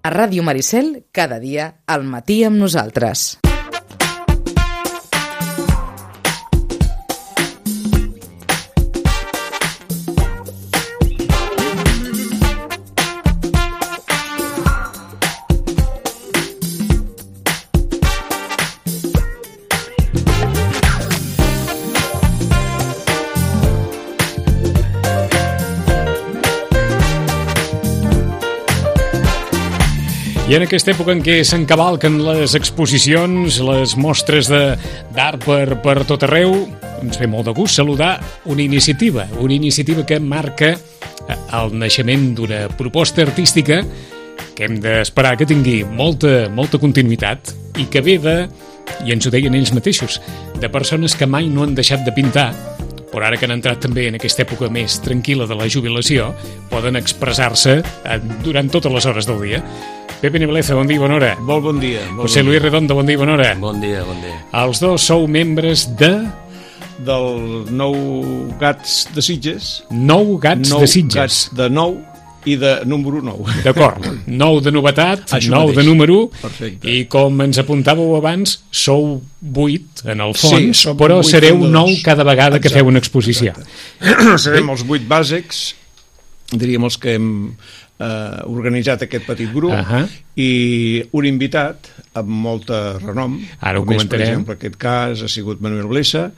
A Ràdio Maricel, cada dia, al matí amb nosaltres. I en aquesta època en què s'encavalquen les exposicions, les mostres d'art per tot arreu, ens ve molt de gust saludar una iniciativa que marca el naixement d'una proposta artística que hem d'esperar que tingui molta continuïtat i que ve i ens ho deien ells mateixos, de persones que mai no han deixat de pintar, però ara que han entrat també en aquesta època més tranquil·la de la jubilació, poden expressar-se durant totes les hores del dia. Pepe Nebeleza, bon dia i bona hora. Molt bon dia. José Luis Redondo, bon dia i bona hora. Bon dia. Els dos sou membres del Nou Gats de Sitges. Nou Gats de Sitges. Nou Gats de nou i de número 9. D'acord. 9 de novetat, 9 de número. Perfecte. I com ens apuntàveu abans, sou 8 en el fons, sí, però sereu 9 cada vegada que feu una exposició. Serem els 8 bàsics, diríem els que hem organitzat aquest petit grup, i un invitat amb molta renom. Ara ho comentarem. comentarem. Per exemple, aquest cas ha sigut Manuel Blesa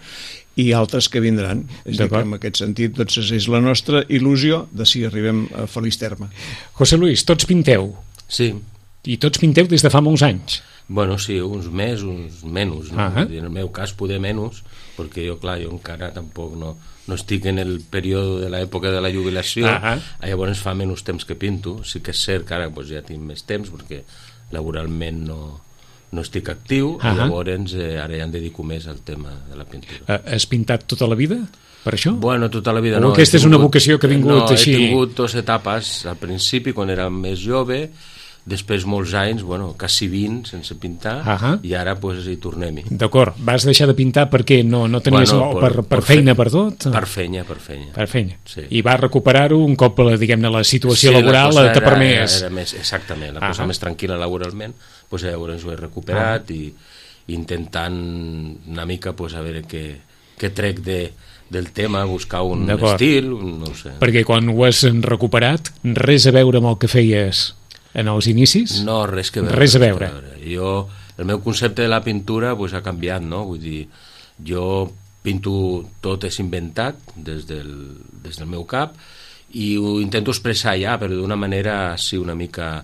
i altres que vindran. És a dir, que en aquest sentit doncs, és la nostra il·lusió de si arribem a feliç terme. José Luis, tots pinteu? Sí. I tots pinteu des de fa molts anys? Bueno, sí, uns més, uns menys, no? En el meu cas poder menys, perquè jo encara tampoc no estic en el període de l'època de la jubilació, llavors fa menys temps que pinto. Sí que és cert que ara ja tinc més temps, perquè laboralment no estic actiu, i llavors ara ja em dedico més al tema de la pintura. Has pintat tota la vida, per això? Bueno, tota la vida no. Aquesta és una vocació que ha vingut així? No, he tingut 2 etapes. Al principi, quan era més jove, després molts anys, quasi 20 sense pintar, i ara hi tornem-hi. D'acord, vas deixar de pintar perquè no tenies per feina, per tot? Per feina. Per feina. Sí. I vas recuperar-ho un cop, diguem-ne, la situació laboral t'ha permès. Era més, exactament, la cosa més tranquil·la laboralment, llavors ho he recuperat i intentant una mica a veure què trec del tema, buscar un estil, no ho sé. Perquè quan ho has recuperat, res a veure amb el que feies en els inicis? No, res a veure. El meu concepte de la pintura ha canviat, no? Vull dir, jo pinto tot és inventat des del meu cap i ho intento expressar ja, però d'una manera sí, una mica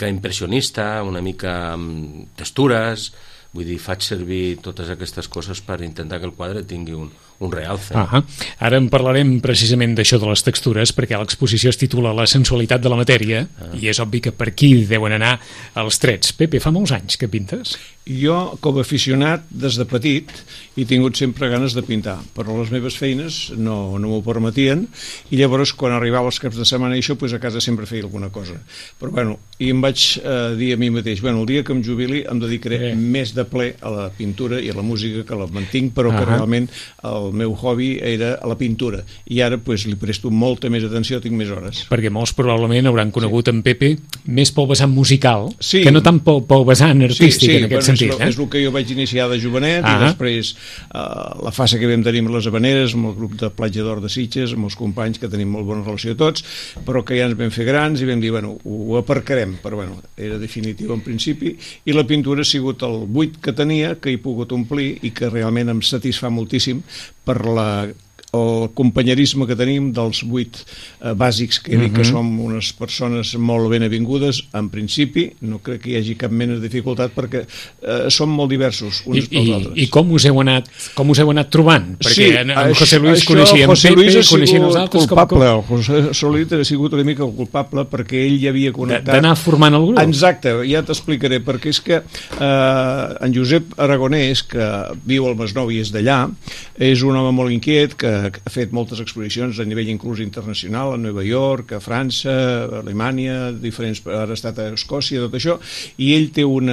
impressionista, una mica amb textures. Vull dir, faig servir totes aquestes coses per intentar que el quadre tingui un realce. Ara en parlarem precisament d'això de les textures, perquè l'exposició es titula La sensualitat de la matèria, i és obvi que per aquí deuen anar els trets. Pepe, fa molts anys que pintes? Jo, com a aficionat, des de petit, he tingut sempre ganes de pintar, però les meves feines no m'ho permetien, i llavors, quan arribava els caps de setmana i això, a casa sempre feia alguna cosa. Però, i em vaig dir a mi mateix, el dia que em jubili em dedicaré més de ple a la pintura i a la música, que la mantinc, però que realment el meu hobby era a la pintura. I ara, li presto molta més atenció, tinc més hores. Perquè molts probablement hauran conegut en Pepe més pel vessant musical, que no tant pel vessant artístic, en aquest sentit. És el que jo vaig iniciar de jovenet, i després la fase que vam tenir amb les Habaneres, amb el grup de Platja d'Or de Sitges, amb els companys, que tenim molt bona relació tots, però que ja ens vam fer grans i vam dir, ho aparcarem, però era definitiu en principi, i la pintura ha sigut el buit que tenia, que he pogut omplir i que realment em satisfà moltíssim per el companyerisme que tenim dels 8 bàsics, que dic que som unes persones molt ben avingudes. En principi no crec que hi hagi cap mena de dificultat, perquè som molt diversos uns pels altres. I com us heu anat trobant? Perquè en José Luis coneixia en Pepe, coneixien els altres. El José Luis ha sigut una mica el culpable, perquè ell ja havia connectat. D'anar formant el grup? Exacte, ja t'explicaré, perquè és que en Josep Aragonès, que viu al Masnou i és d'allà, és un home molt inquiet, que ha fet moltes exposicions a nivell inclús internacional, a Nova York, a França, a Alemanya, ara ha estat a Escòcia, tot això, i ell té al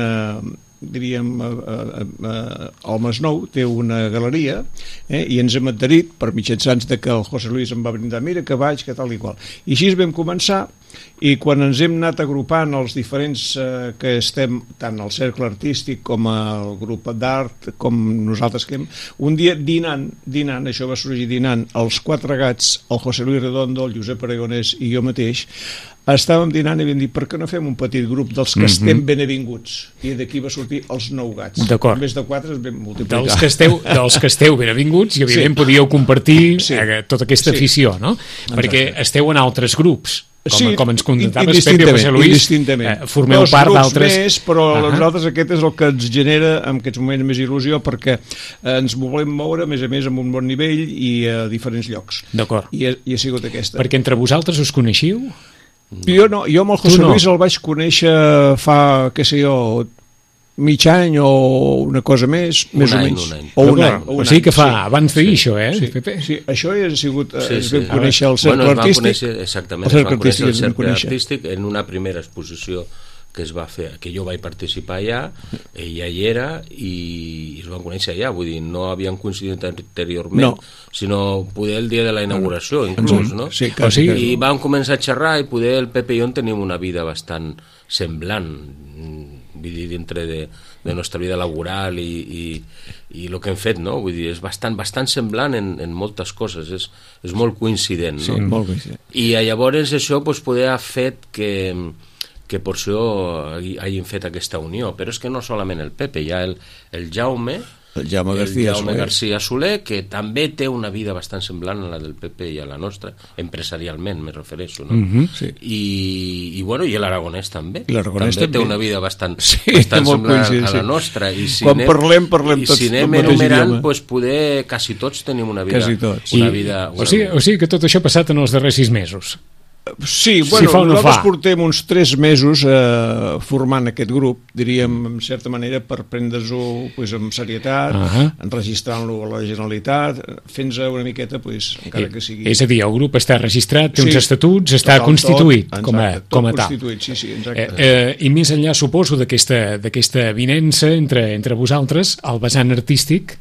Masnou té una galeria, i ens hem adherit per mitjançants de que el José Luis em va brindar, mira que vaig, que tal i qual. I així vam començar, i quan ens hem anat agrupant els diferents que estem, tant al cercle artístic com al grup d'art, com nosaltres que hem, un dia dinant, això va sorgir dinant, els 4 gats, el José Luis Redondo, el Josep Aragonès i jo mateix, estàvem dinant i vam dir, per què no fem un petit grup dels que estem benevinguts? I d'aquí va sortir els 9 gats. D'acord. En vez de 4 es vam multiplicar. Dels que esteu benevinguts i evidentment podíeu compartir tota aquesta afició, no? Perquè esteu en altres grups. Com ens contentaves, Pepe José Luis, formeu part d'altres... Més, però nosaltres aquest és el que ens genera en aquests moments més il·lusió, perquè ens volem moure, a més amb un bon nivell i a diferents llocs. D'acord. I ha sigut aquesta. Perquè entre vosaltres us coneixiu? Jo no, jo amb el José Luis el vaig conèixer fa, què sé jo, mig any o una cosa més o menys. Un any. O sigui que fa abans d'ahir això, Pepe? Sí, això ha sigut, es vam conèixer el cercle artístic. Exactament, es van conèixer el cercle artístic en una primera exposició que es va fer, que jo vaig participar allà, ella hi era i es van conèixer allà, vull dir, no havien coincidit anteriorment, sinó poder el dia de la inauguració, inclús, no? Sí, i vam començar a xerrar i poder el Pepe i jo tenim una vida bastant semblant, vull dir, dintre de nostra vida laboral i el que hem fet, no? Vull dir, és bastant semblant en moltes coses, és molt coincident, no? Sí, molt coincident. I llavors això poder ha fet que per això hagin fet aquesta unió, però és que no solament el Pepe, hi ha el Jaume García Soler, que també té una vida bastant semblant a la del Pepe i a la nostra, empresarialment me refereixo, no? I l'Aragonès també, també té una vida bastant semblant a la nostra, i si anem enumerant, poder quasi tots tenim una vida. O sigui que tot això ha passat en els darrers 6 mesos. Sí, nosaltres portem uns 3 mesos formant aquest grup, diríem, en certa manera, per prendre-ho amb serietat, enregistrant-lo a la Generalitat, fent-nos una miqueta, encara que sigui... És a dir, el grup està registrat, té uns estatuts, està constituït com a tal. Constituït, sí, exacte. I més enllà, suposo, d'aquesta avinença entre vosaltres, el vessant artístic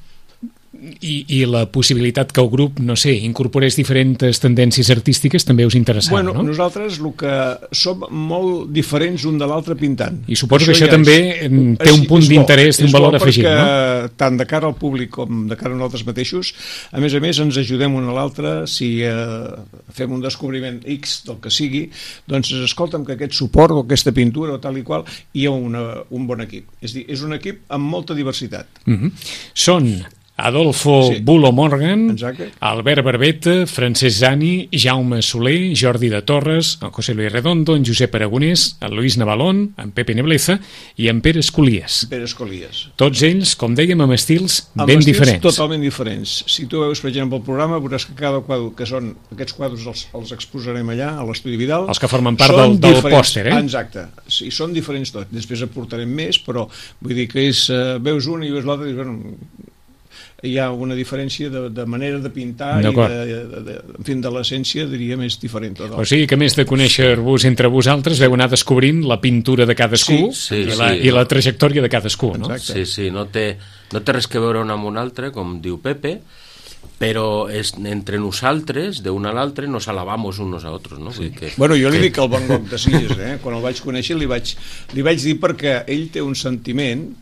i la possibilitat que el grup, no sé, incorporés diferents tendències artístiques també us interessava, no? Nosaltres el que som molt diferents un de l'altre pintant. I suposo que això també té un punt d'interès, un valor afegit, no? Perquè tant de cara al públic com de cara a nosaltres mateixos, a més ens ajudem un a l'altre, si fem un descobriment X del que sigui, doncs escolta'm que aquest suport o aquesta pintura o tal i qual, hi ha un bon equip. És a dir, és un equip amb molta diversitat. Són Adolfo Bulo Morgan, exacte. Albert Barbeta, Francesc Zani, Jaume Soler, Jordi de Torres, en José Luis Redondo, en Josep Aragonès, en Luis Navalón, en Pepe Nebleza i en Pere Escolies. Tots ells, com dèiem, amb estils ben diferents. Totalment diferents. Si tu veus, per exemple, el programa, veuràs que cada quadre, que són aquests quadres els exposarem allà, a l'Estudi Vidal. Els que formen part del pòster, Exacte. Sí, són diferents tots. Després aportarem més, però vull dir que veus un i veus l'altre i dius, bueno, hi ha una diferència de manera de pintar i de l'essència, diríem, és diferent. O sigui que més de conèixer-vos entre vosaltres veu anar descobrint la pintura de cadascú i la trajectòria de cadascú, no? Sí, no té res que veure un amb un altre, com diu Pepe, però entre nosaltres, d'un a l'altre, nos alabamos unos a otros, no? Bueno, jo li dic al Van Gogh de Sitges, quan el vaig conèixer li vaig dir, perquè ell té un sentiment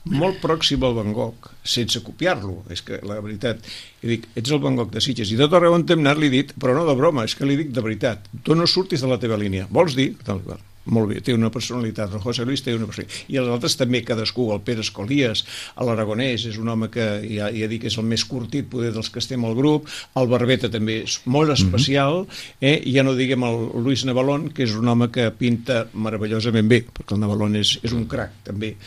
molt pròxim al Van Gogh, sense copiar-lo, és que la veritat, i dic, ets el Van Gogh de Sitges, i tot arreu on hem anat li he dit, però no de broma, és que li dic de veritat, tu no surtis de la teva línia, vols dir? Tal, molt bé, té una personalitat, el José Luis té una personalitat, i els altres també, cadascú, el Pere Escolies, l'Aragonès, és un home que ja dic que és el més curtit poder dels que estem al grup, el Barbeta també és molt especial, i ja no diguem el Luis Navalón, que és un home que pinta meravellosament bé, perquè el Navalón és un crac també,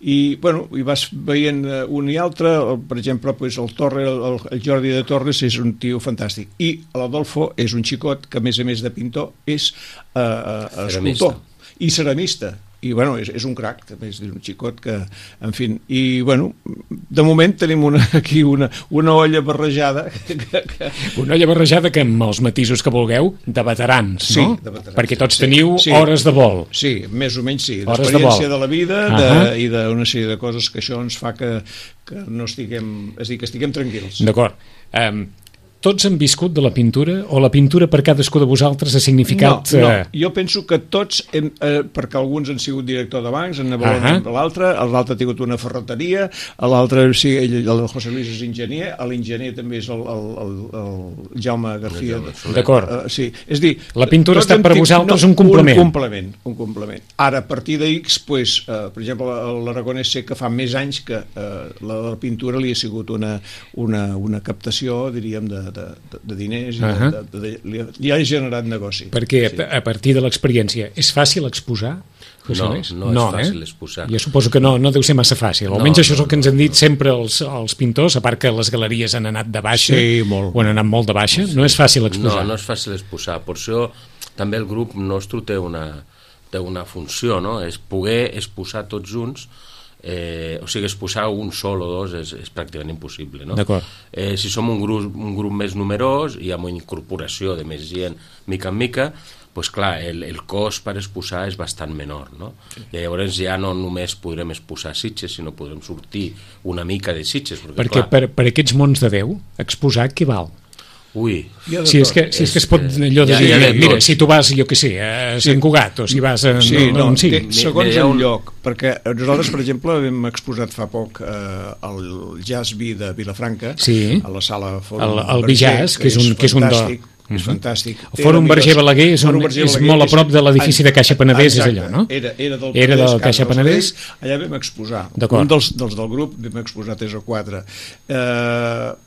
i vas veient un i altre, per exemple, el Jordi de Torres és un tio fantàstic, i l'Adolfo és un xicot que, a més de pintor, és escultor i ceramista, i és un crac, també és un xicot que, en fi, i de moment tenim aquí una olla barrejada una olla barrejada que amb els matisos que vulgueu de veterans, no? De veterans, perquè tots teniu hores de vol. Sí, més o menys sí, d'experiència de la vida i d'una sèrie de coses que això ens fa que no estiguem, és a dir, que estiguem tranquils. D'acord. tots han viscut de la pintura o la pintura per cadascú de vosaltres ha significat... No, jo penso que tots, perquè alguns han sigut director de bancs, en l'altre ha tingut una ferreteria, l'altre, sí, el José Luis és enginyer, l'enginyer també és el Jaume García. D'acord. Sí, és dir... La pintura ha estat per vosaltres un complement. Un complement. Ara, a partir d'X, per exemple, l'Aragonès sé que fa més anys que la pintura li ha sigut una captació, diríem, de diners i li ha generat negoci. Perquè a partir de l'experiència és fàcil exposar? No és fàcil exposar. Jo suposo que no deu ser massa fàcil. Almenys això és el que ens han dit sempre els pintors, a part que les galeries han anat de baixa, o han anat molt de baixa, no és fàcil exposar. No és fàcil exposar. Per això també el grup nostre té una funció, no? És poder exposar tots junts. O sigui, exposar un sol o dos és pràcticament impossible, no? Si som un grup més numerós i amb una incorporació de més gent mica en mica, doncs clar, el cost per exposar és bastant menor, no? I llavors ja no només podrem exposar Sitges, sinó podrem sortir una mica de Sitges. Perquè per aquests mons de Déu, exposar què val? Ui, si és que es pot allò de dir, mira, si tu vas, jo què sé, a Sant Cugat, o si vas a... Segons el lloc, perquè nosaltres, per exemple, hem exposat fa poc el Jazz Vi de Vilafranca, a la sala Fòrum el Bijazz, que és un fantàstic. És fantàstic. El Fòrum Verger Balaguer és molt a prop de l'edifici de Caixa Penedès, és allò, no? Era del Caixa Penedès. Allà vam exposar. Un dels del grup vam exposar 3 o 4.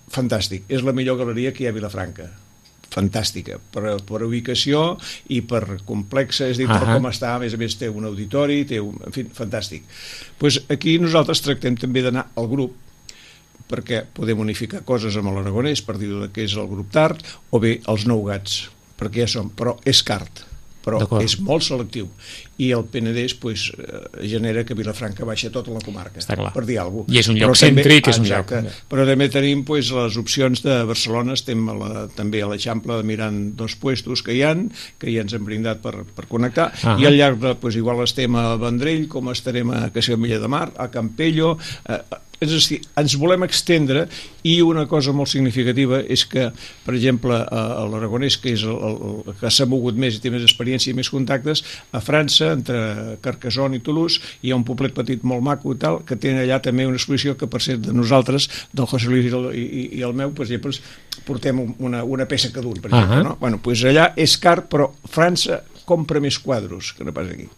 Fantàstic. És la millor galeria que hi ha a Vilafranca. Fantàstica, per ubicació i per complexa, és a dir, per com està, a més té un auditori, en fi, fantàstic. Doncs aquí nosaltres tractem també d'anar al grup, perquè podem unificar coses amb l'Aragonès, per dir que és el grup tard, o bé els Nou Gats, perquè ja som, però és cart, però és molt selectiu, i el Penedès genera que Vilafranca baixa tota la comarca, per dir alguna cosa. I és un lloc cèntric, és un lloc... Però també tenim les opcions de Barcelona, estem també a l'Eixample mirant 2 puestos que ja ens hem brindat per connectar, i al llarg de, igual estem a Vendrell, com estarem a Castellamella de Mar, a Campello... És a dir, ens volem extendre, i una cosa molt significativa és que, per exemple, l'Aragonès, que és el que s'ha mogut més i té més experiència i més contactes, a França, entre Carcassonne i Toulouse, hi ha un poblet petit molt maco i tal, que tenen allà també una exposició que, per ser de nosaltres, del José Luis i el meu, per exemple, portem una peça cada un, per exemple, no? Bueno, doncs allà és car, però França compra més quadros que no pas aquí.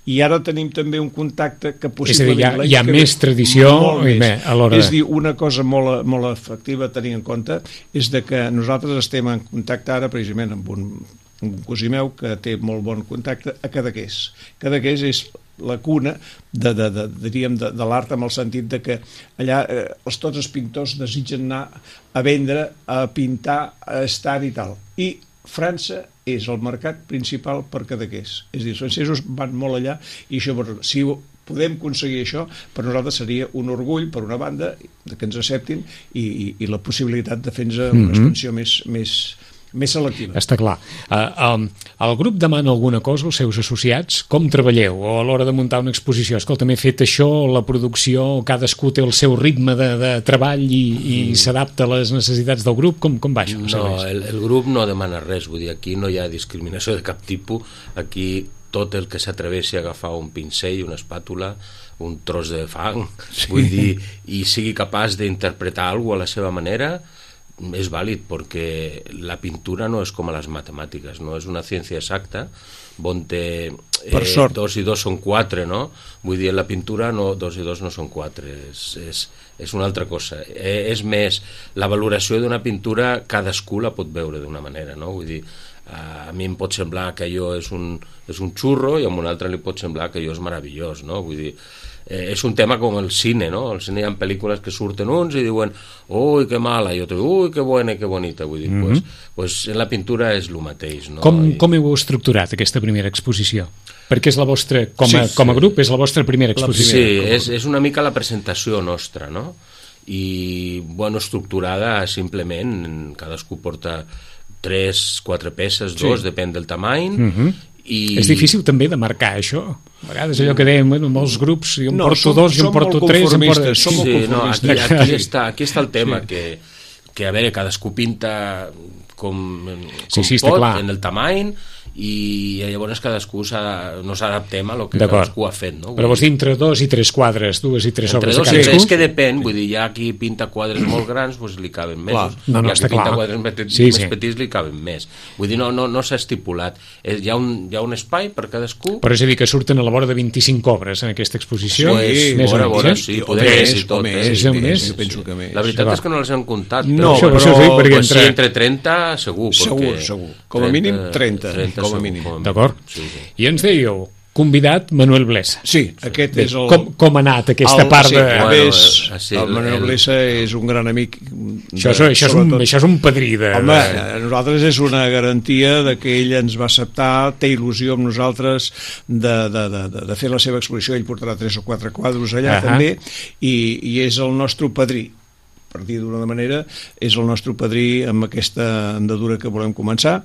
I ara tenim també un contacte que possiblement... És a dir, hi ha més tradició a l'hora... És a dir, una cosa molt efectiva a tenir en compte és que nosaltres estem en contacte ara precisament amb un cosí meu que té molt bon contacte a Cadaqués. Cadaqués és la cuna diríem de l'art, amb el sentit de que allà tots els pintors desitgen anar a vendre, a pintar, a estar i tal. I França és el mercat principal per Cadaqués. És a dir, els francesos van molt allà, i això, si podem aconseguir això, per nosaltres seria un orgull, per una banda, que ens acceptin, i la possibilitat de fer-nos una expansió més selectiva. Està clar. El grup demana alguna cosa als seus associats? Com treballeu? O a l'hora de muntar una exposició? Escolta, m'he fet això, la producció, cadascú té el seu ritme de treball i s'adapta a les necessitats del grup? Com va això? No, el grup no demana res, vull dir, aquí no hi ha discriminació de cap tipus, aquí tot el que s'atreveixi a agafar un pincell, una espàtula, un tros de fang, vull dir, i sigui capaç d'interpretar alguna cosa a la seva manera, és vàlid, perquè la pintura no és com a les matemàtiques, no és una ciència exacta on 2 i 2 són 4, no? Vull dir, en la pintura 2 i 2 no són 4, és una altra cosa. És més, la valoració d'una pintura cadascú la pot veure d'una manera, no? Vull dir, a mi em pot semblar que allò és un xurro, i a un altre li pot semblar que allò és meravellós, no? Vull dir, és un tema com el cine, no? Al cine hi ha pel·lícules que surten uns i diuen ui, que mala, i altres, ui, que bona, que bonita, vull dir, pues en la pintura és el mateix, no? Com heu estructurat aquesta primera exposició? Perquè és la vostra, com a grup, és la vostra primera exposició. Sí, és una mica la presentació nostra, no? I, bueno, estructurada simplement, cadascú porta 3-4 peces, 2, depèn del tamany, És difícil també de marcar això. A vegades allò que dèiem, molts grups, jo em porto 2, jo em porto 3... Sí, no, aquí està el tema, que que a veure, cadascú pinta com sí, pot, clar. en el tamany, i llavors cadascú nos adaptem a lo que cadascú ha fet, no? Però vols dir entre 2 i 3 quadres, 2 i 3 obres de cadascú? Entre 2 i 3 que depèn, vull dir, hi ha qui pinta quadres molt grans, doncs li caben més, hi ha qui pinta quadres més petits li caben més, vull dir, no s'ha estipulat, hi ha un espai per cadascú. Però és a dir, que surten a la vora de 25 obres en aquesta exposició? Sí, poder més i tot, jo penso que més. La veritat és que no les hem comptat, però sí, entre 30 segur, com a mínim 30 com a mínim. D'acord. I ens dèieu, convidat Manuel Blesa. Sí, aquest és el... Com ha anat aquesta part de... El Manuel Blesa és un gran amic. Això és un padrí de... Home, a nosaltres és una garantia de que ell ens va acceptar, té il·lusió amb nosaltres de fer la seva exposició. Ell portarà 3 o 4 quadros allà també, i és el nostre padrí. Per dir d'una manera, és el nostre padrí amb aquesta andadura que volem començar,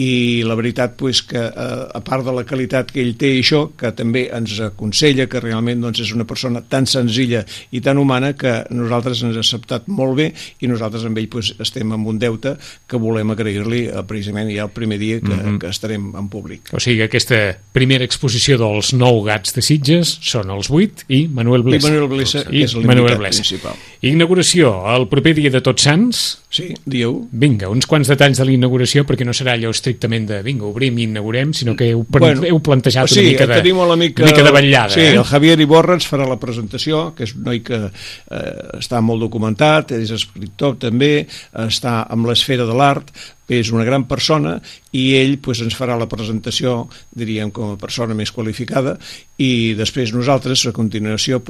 i la veritat que a part de la qualitat que ell té i això, que també ens aconsella, que realment és una persona tan senzilla i tan humana que nosaltres ens ha acceptat molt bé, i nosaltres amb ell estem amb un deute que volem agrair-li precisament ja el primer dia que estarem en públic. O sigui, aquesta primera exposició dels 9 gats de Sitges són els 8 i Manuel Blesa. I Manuel Blesa és l'invitat principal. Inauguració el proper dia de Tots Sants. Sí, dia 1. Vinga, uns quants detalls de la inauguració, perquè no serà allò estrictament de vinga, obrim i inaugurem, sinó que heu plantejat una mica de vetllada. Sí, el Javier Iborra ens farà la presentació, que és un noi que està molt documentat, és escriptor també, està amb l'esfera de l'art, és una gran persona, i ell ens farà la presentació, diríem, com a persona més qualificada, i després nosaltres, a continuació,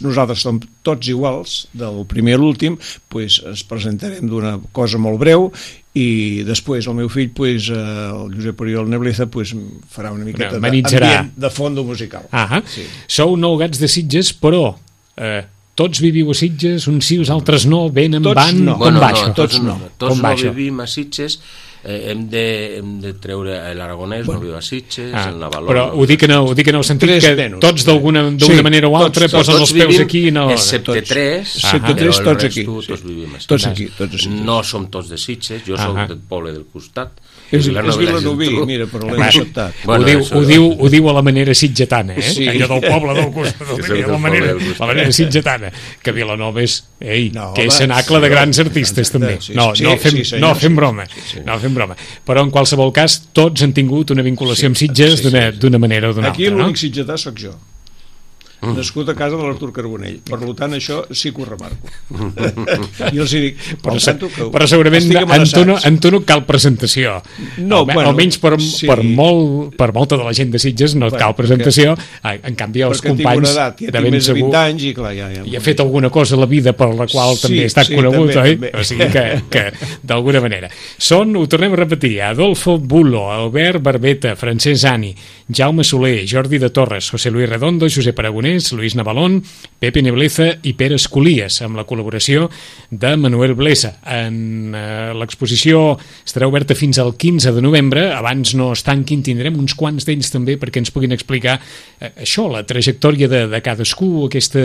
nosaltres som tots iguals, del primer a l'últim, ens presentarem d'una cosa molt breu, i després el meu fill, el Josep Oriol Nebleza, farà una miqueta d'ambient de fondo musical. Sou 9 gats de Sitges, però tots viviu a Sitges, uns sí, uns altres no, venen, van, com va això? Tots no vivim a Sitges, hem de treure l'aragonès, no viu a Sitges, el Navaló... Però ho dic en el sentit que tots d'alguna manera o altra posen els peus aquí... Excepte 3, però el resto tots vivim a Sitges. No som tots de Sitges, jo soc del poble del costat. És Vilanoví, mira, però l'hem acceptat. Ho diu a la manera sitgetana, allò del poble del costat, la manera sitgetana, que Vilanova és, que és cenacle de grans artistes també. No fem broma, però en qualsevol cas tots han tingut una vinculació amb Sitges d'una manera o d'una altra. Aquí l'únic sitgetà sóc jo, nascut a casa de l'Artur Carbonell, per tant això sí que ho remarco. I els dic, però segurament en tu no cal presentació, almenys per molta de la gent de Sitges no cal presentació, en canvi els companys de ben segur i ha fet alguna cosa a la vida per la qual també ha estat conegut, o sigui que d'alguna manera són, ho tornem a repetir, Adolfo Bulo, Albert Barbeta, Francesc Ani, Jaume Soler, Jordi de Torres, José Luis Redondo, Josep Aragonès, Luis Navalón, Pepe Nebleza i Pere Escolies, amb la col·laboració de Manuel Blesa. L'exposició estarà oberta fins al 15 de novembre, abans no es tanquin, tindrem uns quants d'ells també perquè ens puguin explicar això, la trajectòria de cadascú, aquest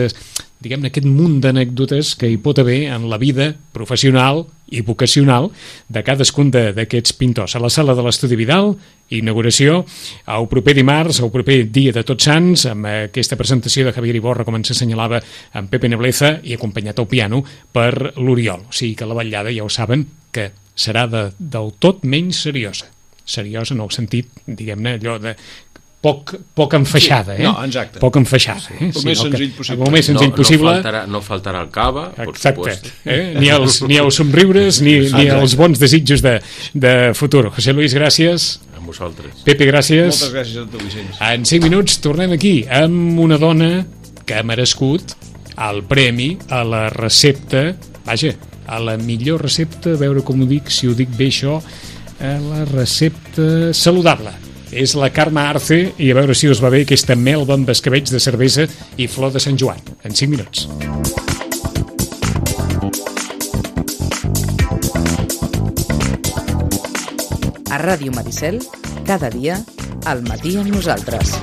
munt d'anècdotes que hi pot haver en la vida professional i vocacional de cadascun d'aquests pintors. A la sala de l'Estudi Vidal, inauguració el proper dimarts, el proper dia de Tots Sants, amb aquesta presentació de Javier Iborra, com ens assenyalava, amb Pepe Nebleza, i acompanyat al piano per l'Oriol. O sigui que la vetllada, ja ho saben, que serà del tot menys seriosa. Seriosa en el sentit, diguem-ne, allò de poc enfaixada, No, exacte. Poc enfaixada. El més senzill possible. El més senzill possible. No faltarà el cava, per supuesto. Ni els somriures, ni els bons desitjos de futur. José Luis, gràcies. A vosaltres. Pepe, gràcies. Moltes gràcies a tu, Vicenç. En 5 minuts tornem aquí amb una dona que ha merescut el premi a la recepta, a la millor recepta, a veure com ho dic, si ho dic bé això, a la recepta saludable. És la Carme Arce, i a veure si us va bé aquesta melva amb escabells de cervesa i flor de Sant Joan. En 5 minuts. A Ràdio Maricel, cada dia, al matí amb nosaltres.